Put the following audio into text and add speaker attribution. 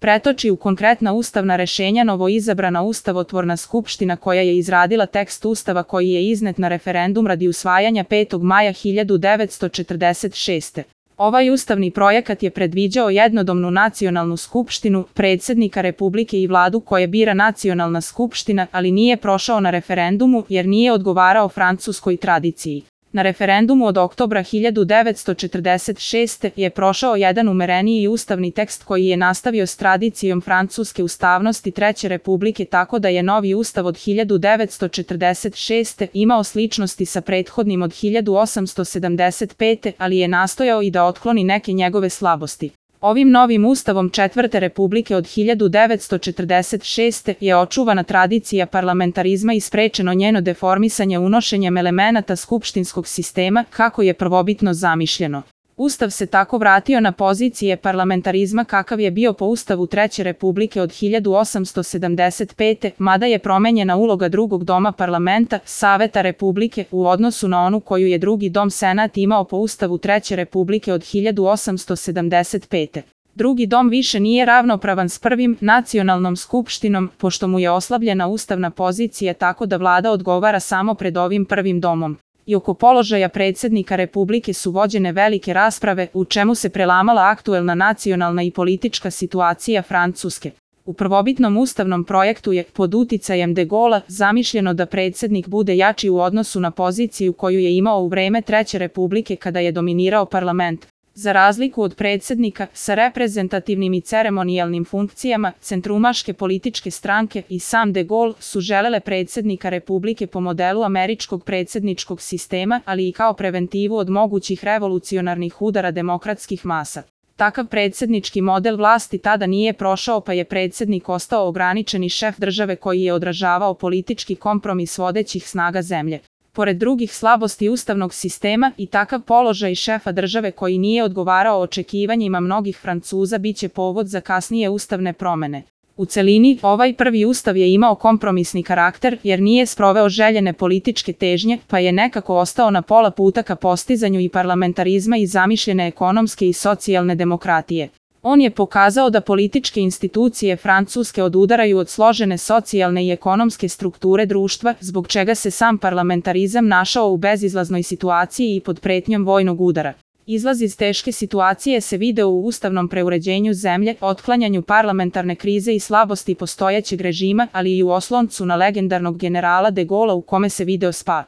Speaker 1: pretoči u konkretna ustavna rešenja novoizabrana ustavotvorna skupština koja je izradila tekst ustava koji je iznet na referendum radi usvajanja 5. maja 1946. Ovaj ustavni projekat je predviđao jednodomnu nacionalnu skupštinu, predsjednika Republike i vladu koje bira nacionalna skupština, ali nije prošao na referendumu jer nije odgovarao francuskoj tradiciji. Na referendumu od oktobra 1946. je prošao jedan umereniji ustavni tekst koji je nastavio s tradicijom francuske ustavnosti Treće republike, tako da je novi ustav od 1946. imao sličnosti sa prethodnim od 1875. ali je nastojao i da otkloni neke njegove slabosti. Ovim novim ustavom Četvrte republike od 1946. je očuvana tradicija parlamentarizma i sprečeno njeno deformisanje unošenjem elemenata skupštinskog sistema kako je prvobitno zamišljeno. Ustav se tako vratio na pozicije parlamentarizma kakav je bio po ustavu Treće republike od 1875. mada je promenjena uloga drugog doma parlamenta, Saveta republike, u odnosu na onu koju je drugi dom Senat imao po ustavu Treće republike od 1875. Drugi dom više nije ravnopravan s prvim, nacionalnom skupštinom, pošto mu je oslabljena ustavna pozicija tako da vlada odgovara samo pred ovim prvim domom. I oko položaja predsjednika Republike su vođene velike rasprave u čemu se prelamala aktuelna nacionalna i politička situacija Francuske. U prvobitnom ustavnom projektu je, pod uticajem de Gaulea, zamišljeno da predsjednik bude jači u odnosu na poziciju koju je imao u vreme Treće republike kada je dominirao parlament. Za razliku od predsjednika sa reprezentativnim i ceremonijalnim funkcijama, centrumaške političke stranke i sam de Gaulle su želele predsjednika Republike po modelu američkog predsjedničkog sistema, ali i kao preventivu od mogućih revolucionarnih udara demokratskih masa. Takav predsjednički model vlasti tada nije prošao pa je predsjednik ostao ograničeni šef države koji je odražavao politički kompromis vodećih snaga zemlje. Pored drugih slabosti ustavnog sistema i takav položaj šefa države koji nije odgovarao očekivanjima mnogih Francuza biće povod za kasnije ustavne promjene. U celini, ovaj prvi ustav je imao kompromisni karakter jer nije sproveo željene političke težnje, pa je nekako ostao na pola puta ka postizanju i parlamentarizma i zamišljene ekonomske i socijalne demokratije. On je pokazao da političke institucije Francuske odudaraju od složene socijalne i ekonomske strukture društva, zbog čega se sam parlamentarizam našao u bezizlaznoj situaciji i pod pretnjom vojnog udara. Izlaz iz teške situacije se video u ustavnom preuređenju zemlje, otklanjanju parlamentarne krize i slabosti postojećeg režima, ali i u osloncu na legendarnog generala de Gaulea u kome se video spas.